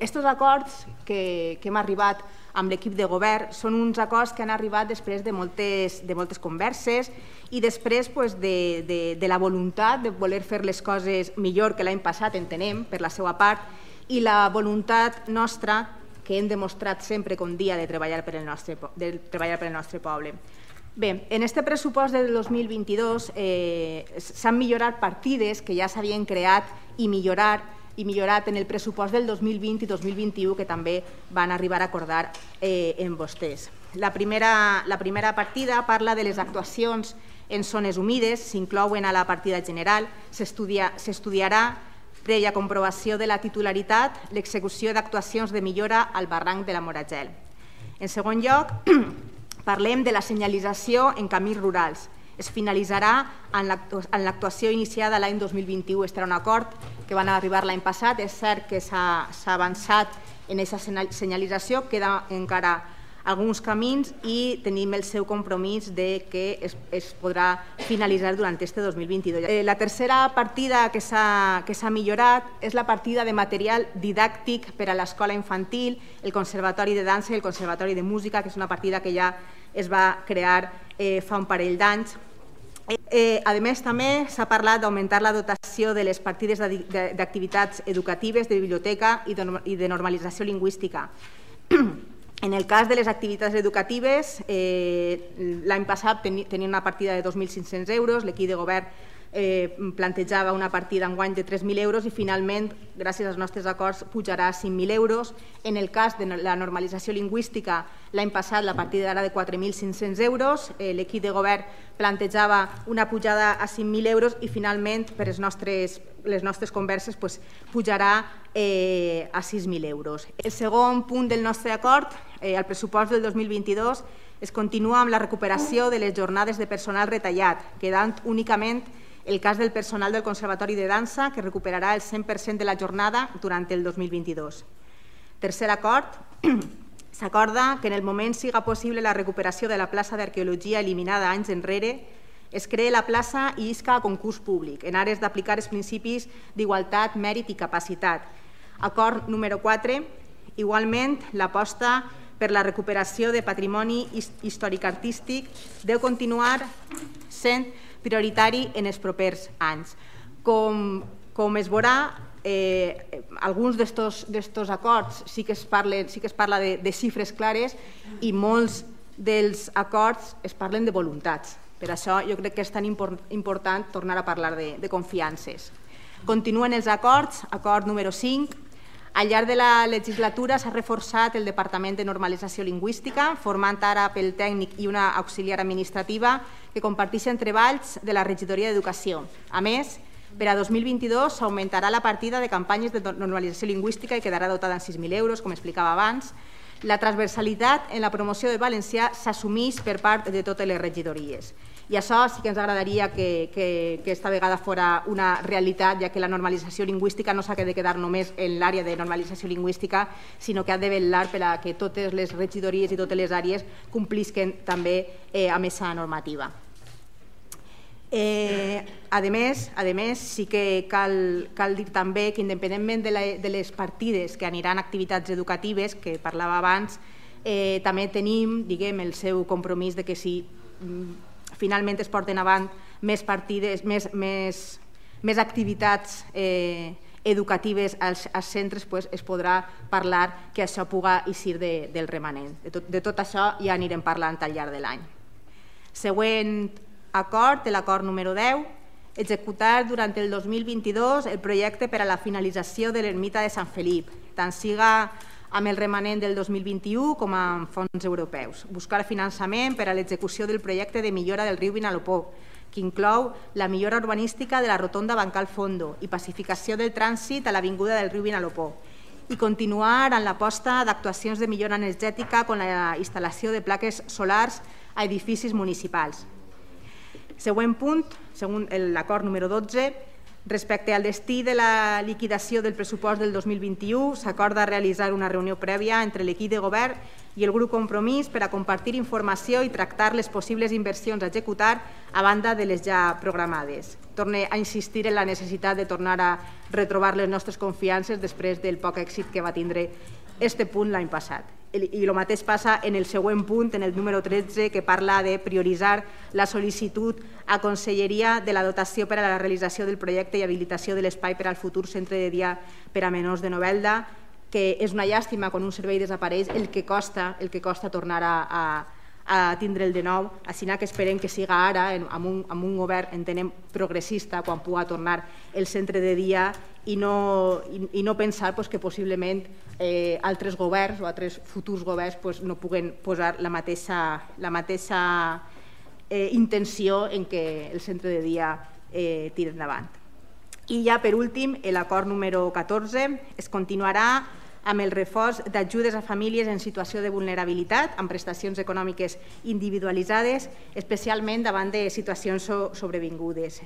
Aquests acords que hem arribat amb l'equip de govern són uns acords que han arribat després de moltes converses i després de la voluntat de voler fer les coses millor que l'any passat, entenem, per la seva part, i la voluntat nostra, que hem demostrat sempre com dia, de treballar per el nostre poble. Bé, en aquest pressupost del 2022 s'han millorat partides que ja s'havien creat i millorat en el pressupost del 2020 i 2021 que també van arribar a acordar amb vostès. La primera partida parla de les actuacions en zones humides, s'inclouen a la partida general, s'estudiarà, prèvia comprovació de la titularitat, l'execució d'actuacions de millora al barranc de la Moragel. En segon lloc, parlem de la senyalització en camins rurals. Es finalitzarà en l'actuació iniciada l'any 2021. Este era un acord que van arribar l'any passat. És cert que s'ha avançat en aquesta senyalització, queda encara alguns camins i tenim el seu compromís de que es podrà finalitzar durant este 2022. La tercera partida que s'ha millorat és la partida de material didàctic per a l'escola infantil, el Conservatori de Dansa i el Conservatori de Música, que és una partida que ja es va crear fa un parell d'anys. A més, també s'ha parlat d'augmentar la dotació de les partides d'activitats educatives, de biblioteca i de normalització lingüística. En el cas de les activitats educatives, l'any passat tenia una partida de 2.500 euros, l'equip de govern plantejava una partida enguany de 3.000 euros i finalment, gràcies als nostres acords, pujarà a 5.000 euros. En el cas de la normalització lingüística, l'any passat la partida era de 4.500 euros, l'equip de govern plantejava una pujada a 5.000 euros i finalment, per les nostres converses, pujarà a 6.000 euros. El segon punt del nostre acord, el pressupost del 2022, es continua amb la recuperació de les jornades de personal retallat, quedant únicament el cas del personal del Conservatori de Dansa, que recuperarà el 100% de la jornada durant el 2022. Tercer acord, s'acorda que en el moment siga possible la recuperació de la plaça d'arqueologia eliminada anys enrere, es cree la plaça i isca a concurs públic, en ares d'aplicar els principis d'igualtat, mèrit i capacitat. Acord número 4, igualment l'aposta per la recuperació de patrimoni històric-artístic deu continuar sent prioritari en els propers anys. Com es veurà, alguns d'aquests acords sí que es parla de xifres clares i molts dels acords es parlen de voluntats. Per això jo crec que és tan important tornar a parlar de confiances. Continuen els acords, acord número 5. Al llarg de la legislatura s'ha reforçat el Departament de Normalització Lingüística, formant ara pel tècnic i una auxiliar administrativa que comparteixen treballs de la Regidoria d'Educació. A més, per a 2022 s'augmentarà la partida de campanyes de normalització lingüística i quedarà dotada en 6.000 euros, com explicava abans. La transversalitat en la promoció del valencià s'assumeix per part de totes les regidories. I això sí que ens agradaria que esta vegada fora una realitat, ja que la normalització lingüística no s'ha de quedar només en l'àrea de normalització lingüística, sinó que ha de vetllar per a que totes les regidories i totes les àrees complisquen també amb aquesta normativa. A més, sí que cal dir també que independentment de les partides que aniran a activitats educatives, que parlava abans, també tenim el seu compromís de que si finalment es porten avant més partides, més activitats educatives als centres, es podrà parlar que això puga eixir del remanent. De tot això ja anirem parlant al llarg de l'any. Següent acord, l'acord número 10, executar durant el 2022 el projecte per a la finalització de l'ermita de Sant Felip, tant siga amb el remanent del 2021 com amb fons europeus. Buscar finançament per a l'execució del projecte de millora del riu Vinalopó, que inclou la millora urbanística de la rotonda Bancal Fondo i pacificació del trànsit a l'avinguda del riu Vinalopó, i continuar en l'aposta d'actuacions de millora energètica com la instal·lació de plaques solars a edificis municipals. Següent punt, l'acord número 12, respecte al destí de la liquidació del pressupost del 2021, s'acorda realitzar una reunió prèvia entre l'equip de govern i el grup Compromís per a compartir informació i tractar les possibles inversions a executar a banda de les ja programades. Torne a insistir en la necessitat de tornar a retrobar les nostres confiances després del poc èxit que va tindre aquest punt l'any passat. I el mateix passa en el següent punt, en el número 13, que parla de prioritzar la sol·licitud a Conselleria de la dotació per a la realització del projecte i habilitació de l'espai per al futur centre de dia per a menors de Novelda, que és una llàstima quan un servei desapareix el que costa tornar a tindre'l de nou, així que esperem que siga ara, amb un govern, entenem, progressista, quan pugui tornar el centre de dia i no pensar que possiblement altres governs o altres futurs governs no puguen posar la mateixa intenció en què el centre de dia tiri endavant. I ja per últim, l'acord número 14 es continuarà amb el reforç d'ajudes a famílies en situació de vulnerabilitat, amb prestacions econòmiques individualitzades, especialment davant de situacions sobrevingudes.